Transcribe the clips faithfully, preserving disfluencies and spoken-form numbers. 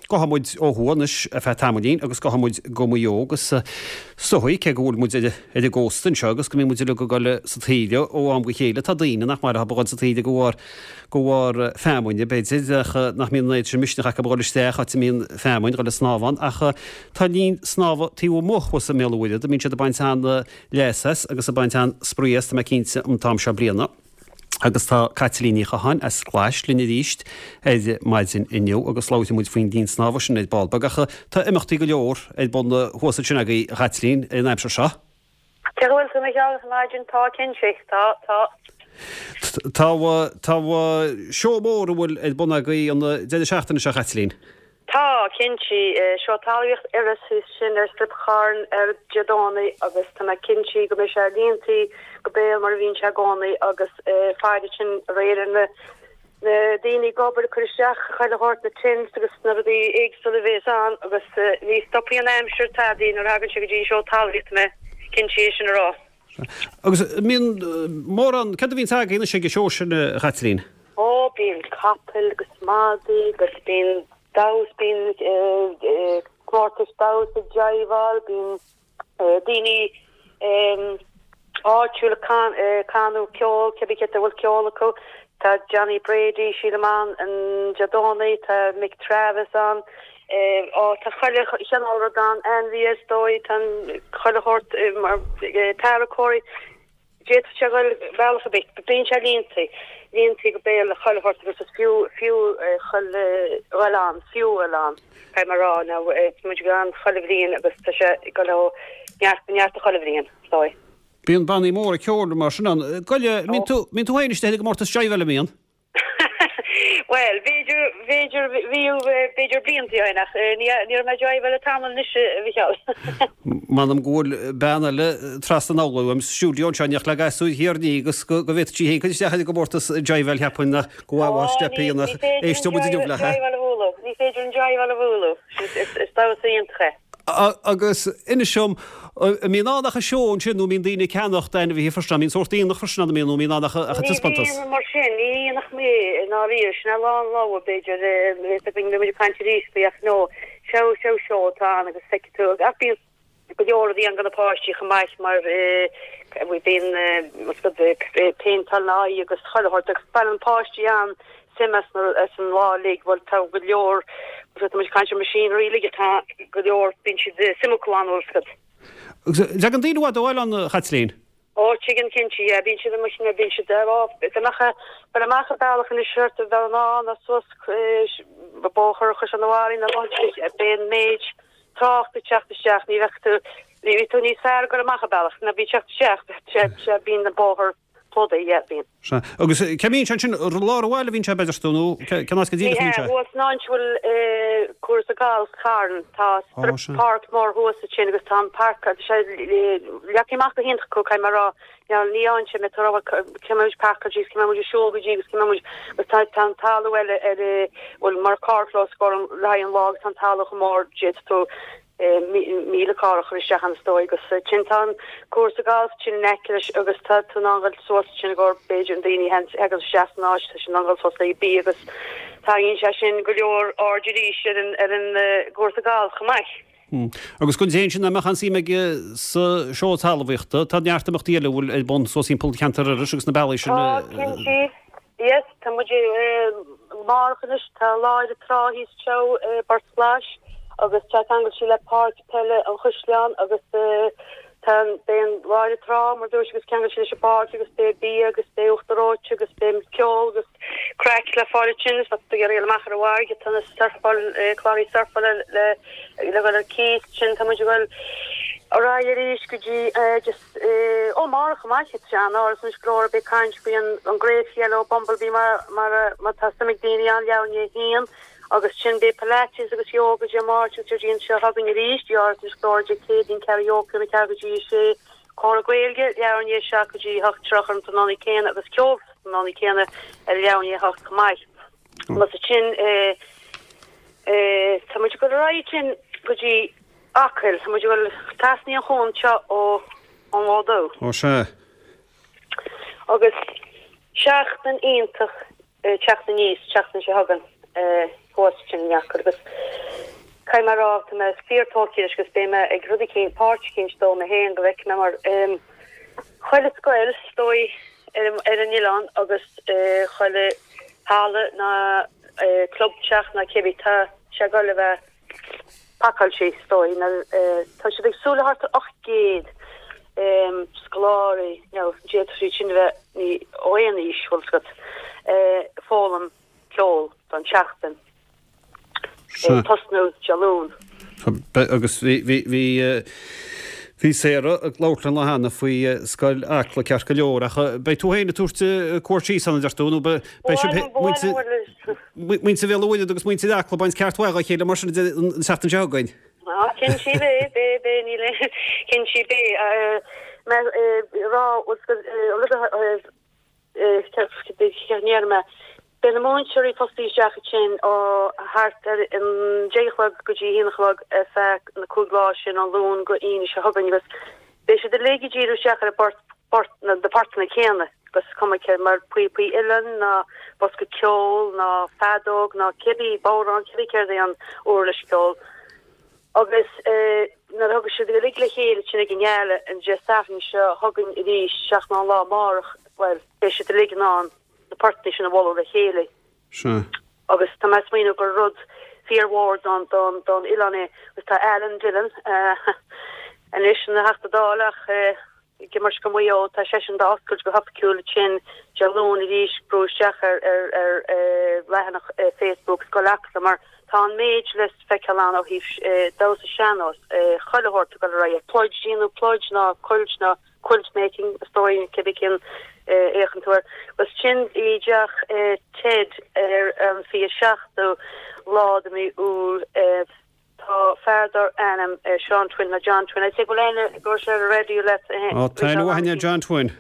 Gabhfaidh muid ó thuaidh anois ar feadh tamaillín agus gabhfaidh muid go Maigh Eo agus is dóigh, cé go bhfuil muid ar an gcósta anseo agus go mbíonn muid uilig ag dul sa taoille ó am go chéile, tá daoine nach maith leo a dhul sa taoille de bharr de bharr feamainne, b'fhéidir, ach nach mbíonn an oiread sin misneach acu a dhul isteach áit a mbíonn feamainn, dhul ag snámh ann. Ach tá linn snámha taobh amuigh thuas i mBéal an Mhuirthead a mbíonn siad ag baint an-leas as agus ag baint an-spraoi as, tá mé cinnte, an t-am seo bliana. Agus tá Caitlín Ní Chatháin as Clais linn arís ar maidin inniu agus labhróidh muid faoin linn snámha sin ar ball beag. Ach tá imeachtaí go leor ar bun thuas ansin agaibh, a Chaitlín, ar an aimsir seo. Cé go bhfuil tú, a Mhichíl, ar maidin, tá, cinnte, tá, tá. Tá, tá seó mór a bhfuil ar bun agaibh an deireadh seachtaine seo, a Chaitlín. Tá, cinnte. Seó Talmhaíocht Iorrais thíos ansin ar Straip Chairn ar Dé Domhnaigh agus tá mé cinnte go mbeidh sé líontaí go béal mar a bhíonn sé i gcónaí agus faire sin aréir ar na na daoine ag obair ag cur isteach chuile shórt na tents agus na rudaí éagsúla a bhéas ann agus ní stopfaidh an aimsir tadaí nuair a thagann sé go dtí an seó talmhaíochta tá mé cinnte é sin a rá. Agus an mbíonn mórán, céard a bhíonns agaibh anois ag an seó sin a Chaitlín? Ó, bíonn capaill agus madaí agus bíonn damhsa, bíonn comórtais damhsa, jiveáil, bíonn daoine áitiúla ag canadh ceol, cibé cé a bhfuil ceol acu. Tá Johnny Brady, sílim ann an Dé Domhnaigh, tá Mick Travis ann, ó tá chuile chineál rud ann, ainmhithe is dóigh, tá chuile shórt mar tarracóirí. D'fhéadfadh sé dhul bealach ar bith. Bíonn sé líontaí, líontaí go béal le chuile shórt agus is fiú, fiú chuile dhul ann, fiú dhul ann, caithfidh mé a rá. Now, tá muid ann chuile bhliain agus tá sé ag dul ó neart go neart chuile bhliain, is dóigh. Bíonn bannaí móra ceoil mar sin ann. Goile, mbíonn tú, mbíonn tú féin istigh i gcomórtas jiveáil, an mbíonn? Bhuel, b'fhéidir, b'fhéidir, bhíodh, b'fhéidir blianta ó shin ach ní, ní raibh mé ag jiveáil le tamall anois, a Mhichíl. M'anam go bhfuil bean eile trasna an urláir uaim sa stiúideo anseo in éineacht le gasúir thiar ní agus go go bhféadfadh sí féin cur isteach ar an gcomórtas jiveáil cheapfainn ach go bhfaighfeá steip í ach éisteoidh muid inniu léi. Jiveáil a bhualadh, ní féidir an jiveáil a bhualadh, is, is damhsa iontach é. Agus inis dom, an mbíonn ann ach an seó ansin nó an mbíonn daoine ag ceannacht ainmhithe freisin, an mbíonn sórt aonach freisin ann, an mbíonn, nó an mbíonn ann ach an Ní taispeántas? bhíonn mar sin, ní aonach mé i ndáiríre, sin é lá an logha b'fhéidir, bhí muid ag caint arís faoi ach no, seó, seó, seó atá ann agus feicfidh tú, ach bíonn go leor rudaí ann do na páistí chomh maith mar bíonn péinteáil na aghaidh agus chuile shórt agus baineann páistí an suim as as an lá uilig, bhuel tá go leor, tá muid ag caint ar machinery uilig atá go leor, bíonn siad suim acu ann bhfuil a fhios agat. Agus tagann daoine i bhfad ó bhaile ann, a Chaitlín? Ó, tigeann cinnte, yeah, bíonn siad amuigh, na, bíonn siad ar, á, dá mbeadh, bhuel amach an bealach anois thart ar Bhéal an Átha nó suas bóthar Chaisleán an Bharraigh nó beidh an méid trácht ag teacht isteach, ní bheadh tú, ní bhí tú níos fearr ag dul amach an bealach ná bhí teacht isteach, sé, sé, bíonn an bóthar plódaithe, yeah, bíonn. Sea. Agus cá mbíonn sé ansin? I lár an bhaile a bhíonn sé, b'fhéidir, nó cén áit go Ní díreach a hea, bhíonn sé? thuas an áit a bhfuil cúrsa galf Charn, tá Ó, strip sea. páirc mór thuas ansin agus tá an páirc, tá sé leagtha amach go hiontach acu, caithfidh mé a rá. Now, ní ann sin, tá rá, cé mbeidh muid páirceáil síos, cé mbeidh muid ag siúl go dtí agus cé mbeidh muid, agus tá tá an talamh eile ar, bhuel, mar carrchlós gorm le haghaidh an lá agus tá an talamh chomh mór, d'fhéadfadh tú míle carr a chur isteach ann is dóigh agus ansin tá an cúrsa galf ansin in aice leis agus tá tú in ann dhul suas ansin i gcomhair b'fhéidir an daoine a thagann isteach san áit tá siad in ann dhul suas le bia agus tarraingíonn sé sin go leor aird arís ar an ar an gcúrsa galf chomh maith. Agus don té sin nach mbeadh aon suim aige sa seó talmhaíochta, tá neart imeachtaí eile a bhfuil ar bun suas timpeall cheantar Iorrais agus na bealaí sin. Tá, cinnte. Yes, tá muid amárach anois, tá Lá ar an Trá thíos anseo i bPort Ghlais agus tá ceangailte le Páirc Peile an Chaisleáin agus tá beidh an Lá ar an Trá mar dúirt agus ceangailte leis an bpáirc agus beidh bia agus beidh uachtar reoite agus beidh ceol agus craic le fáil ansin is má tá tú ag iarraidh dul amach ar an bhfarraige tá na surfáil cláraí surfála le le dhul ar cíos ansin tá muid ag dul ar aghaidh arís go dtí just Ó amárach chomh maith, tá sé in Áras Inis Gluaire beidh caint faoi an Great Yellow Bumblebee mar mar tá suim ag daoine ann leathuair i ndiaidh a haon agus ansin beidh Pilates agus Yoga Dé Máirt agus Déardaoin seo chugainn arís i Áras Inis Gluaire Dé Céadaoin ceathrú i ndiaidh a ceathair go dtí a sé Comhrá Gaeilge leathuair i ndiaidh a seacht go dtí a hocht tríocha ar an tráthnóna céanna agus ceol sa tráthnóna céanna ar leathuair i ndiaidh a hocht chomh maith. Agus ansin tá muid ag dul ar aghaidh ansin go dtí Acaill, tá muid ag dul trasna an chuan seo ó an Bhád Dubh. Ó sea. Agus seachtain iontach ag teacht aníos, seachtain seo chugainn thuas ansin in Acaill agus Caithfidh mé a rá tá mé fíor-tógtha leis agus beidh mé ag rud eicínt, páirt eicínt dó mé féin go bhfeicfidh mé mar chuile scoil is dóigh ar ar an oileán agus chuile halla ná club teach ná cibé tá sé ag dul a bheith pacáilte is dóigh nó tá siad ag súil le thart ar ocht gcéad scoláirí nó d'fhéadfadh siad sin a bheith ní ó aon aois bhfuil 's agat foghlaim ceol don tseachtain. Tosnú Dé Luain. Agus bhí bhí bhí bhí Sarah ag labhairt linn cheana faoi scoil Acla ceart go leor ach beidh tú féin ag tabhairt cuairt síos ann a deir tú nó beidh sibh muintir Bhéal an Mhuirthead agus muintir Acla ag baint ceart mhaith dá chéile mar sin an tseachtain seo chugainn. Á cinnte beidh beidh beidh níl cinnte beidh mé rá rud a mé. Beidh na múinteoirí fostaí isteach ansin ó thart ar an deich a chlog go dtí haon a chlog ar feadh na cúig lá sin ó Luan go Aoine seo chugainn agus beidh siad uilig ag díriú isteach ar an bport, port, na portanna céanna agus cuma cé mar píopaí uilleann ná bosca ceoil ná feadóg ná cibé bodhrán cibé céard é an uirlis ceoil. Agus nuair a thugann siad uilig le chéile sin ag an ngala an Dé Sathairn seo chugainn arís seachas an lá amárach, bhuel beidh siad uilig in ann na portanna sin a bhualadh le chéile. Sea. Agus tá mé ag smaoineamh gur rud fíormhór don don don oileán é. Agus tá Alan Dillon anois ina Theachta Dála ach ag imirt do Mhaigh Eo, tá seisean dá oscailt go hoifigiúil ansin Dé Luain arís brú isteach ar ar ar leathanach Facebook Scoil Acla mar tá an méid le feiceáil ann ó thaobh damhsa sean-nós, chuile shórt ag dul ar aghaidh, pluid, déanamh pluid ná cuilt ná quilt making is dóigh cibé cén a fhéachann tú air. Agus sin i dteach Ted ar an fiche seachtú lá de mí Iúil. Tá fear dar ainm Seán Twin nó John Twin. I'd say go bhfuil aithne go raibh sé ar an raidió leat. Ó tá aithne mhaith ar John Twin.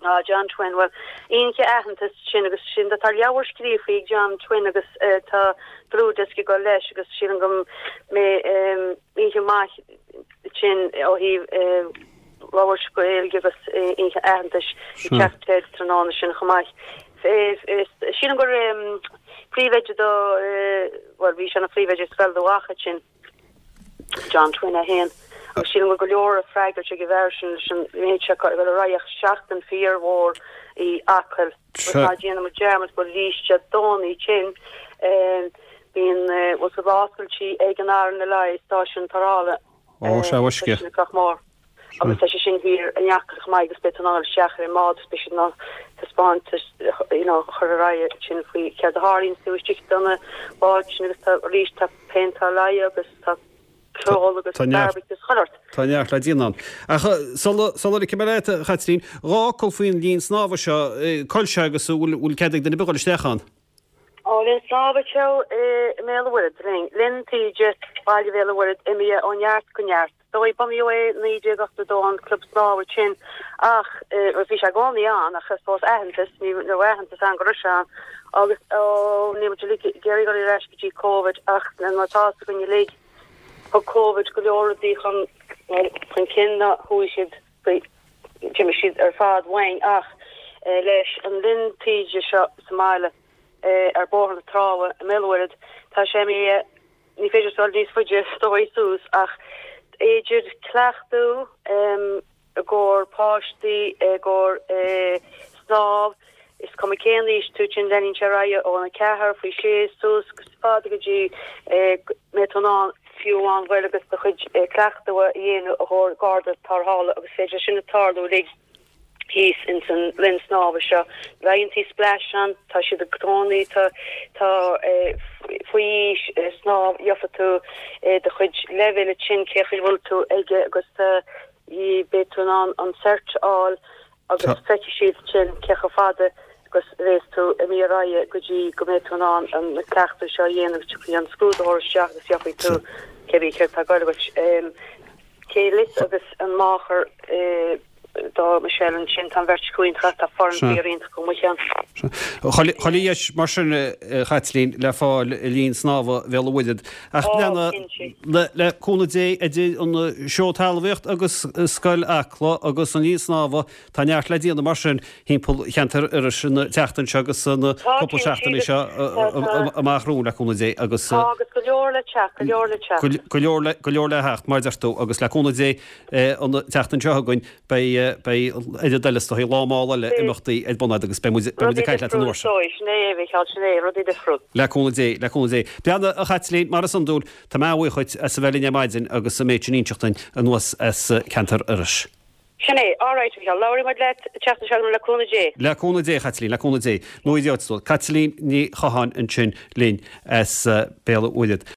Ah John Twin, bhuel iontach aitheanta sin agus sin tá leabhar scríofa ag John Twin agus tá dlúthdhiosca ag dul leis agus sílim go mbeidh oíche maith sin ó thaobh labhairt Gaeilge agus oíche aitheantais i dteach Ted tráthnóna sin chomh maith. Sílim gur príomhoide do bhuel bhí sé ina phríomhoide Scoil Dubh Mhacha sin John Twin é féin agus sílim go go leor a freagairt ag an bhfear sin leis an méid seo go bhfuil ar aghaidh ach seachtain fíormhór í Acaill agus ná déanfaidh muid dearmad go arís Dé Domhnaigh sin bíonn bhfuil sa oscailtí ag an RNLI stáisiún tarrthála Ó, sea, uisce. Cnoc Mór. Agus tá sé sin thiar in Acaill chomh maith agus beidh tú in ann dul isteach ar an mbád agus beidh siad in ann taispeántas you know, chur ar aghaidh sin faoi céard a tharlaíonn taobh istigh de na báid sin agus tá arís tá péinteáil aghaidhe agus tá ceol agus Tá neart- barbecue agus chuile shórt. Tá neart le déanamh ann. Ach sula sula ligfidh mé leat, a Chaitlín, dhá fhocal faoin linn snámha seo, cá bhfuil sé agus bhfuil bhfuil cead ag duine ar bith dul isteach ann? Ó, linn snámha seo i mBéal an Mhuirthead, linn, Linn Taoide, Baile Bhéal an Mhuirthead, imithe ó neart go neart. Dóigh, bunaíodh é naoi déag ochtó dó an club snámha sin ach bhí sé i gcónaí ann ach I suppose aitheantas, ní raibh aitheantas ann go raibh sé ann agus ó níl muid uilig ag iarraidh dul ar ais go dtí Covid ach mar atá fhios againn uilig thug Covid go leor rudaí chun, bhuel, chun cinn ná chuaigh siad faoi, d'imigh siad ar fad uainn ach leis an linn taoide seo sa mbaile. ar Bhóthar na Trá i mBéal an Mhuirthead. Tá sé imithe, ní féidir dul níos faide is dóigh suas ach idir cleachtadh i gcomhair páistí, i gcomhair snámh, is cuma cén aois tú, sin leanann sé ar aghaidh ón a ceathair, faoi sé suas go fada go dtí go mbeidh tú in ann fiú amháin dul agus do chuid cleachtadh a dhéanamh i gcomhair garda tarrthála agus féidir sin a tarlú uilig. thíos ins an linn snámha seo. Laethanta splash ann, tá siad i gcónaí, tá tá faoi aois snámh, gheofa tú do chuid leibhéil ansin cé chaoi bhfuil tú aige agus beidh tú in ann an cert a fháil agus feicfidh siad sin cé chomh fada agus a bheas tú imithe ar aghaidh go dtí go mbeidh tú in ann an cleachtadh seo a dhéanamh, tiocfaidh an scrúdaitheoir isteach agus gheofaidh tú cébí céard atá ag goil agat. Cé Lios agus an Máchair. do Michelle ansin, tá an bheirt acu iontach, tá foireann fíor-iontach acu, mo cheann. Chuile dheis mar sin, a Chaitlín, le fáil i linn snámha Bhéal an Mhuirthead. Ach leana, le cúnamh Dé, idir an seó talmhaíocht agus Scoil Acla agus an linn snámha, tá neart le déanamh mar sin thimpeall cheantar Iorrais an tseachtain seo agus na cúpla seachtainí seo amach romhainn, le cúnamh Dé, agus. Tá, agus go leor le teacht, go leor le teacht. Go leor le, go leor le theacht, mar a deir tú, agus le cúnamh Dé, an tseachtain seo chugainn, beidh, beidh oiread eile is dóigh, lá mall eile imeachtaí ar bun agat agus beidh muid, beidh muid ag caint leat an uair sin. Rudaí difriúil is dóigh, sin é, a Mhícheáil, sin é, rudaí difriúil. Le cúnamh Dé, le cúnamh Dé. Breathnaigh, a Chaitlín, mar is iondúil, tá mé an-bhuíoch dhuit as a bheith linn ar maidin agus an méid sin a inseacht dúinn anuas as ceantar Iorrais. Sin é, alright, a Mhícheáil, labhróidh muid leat an tseachtain seo chugainn le cúnamh Dé. Le cúnamh Dé, a Chaitlín, le cúnamh Dé. Nó idiot, Caitlín Ní Chatháin ansin linn as Béal an Mhuirthead.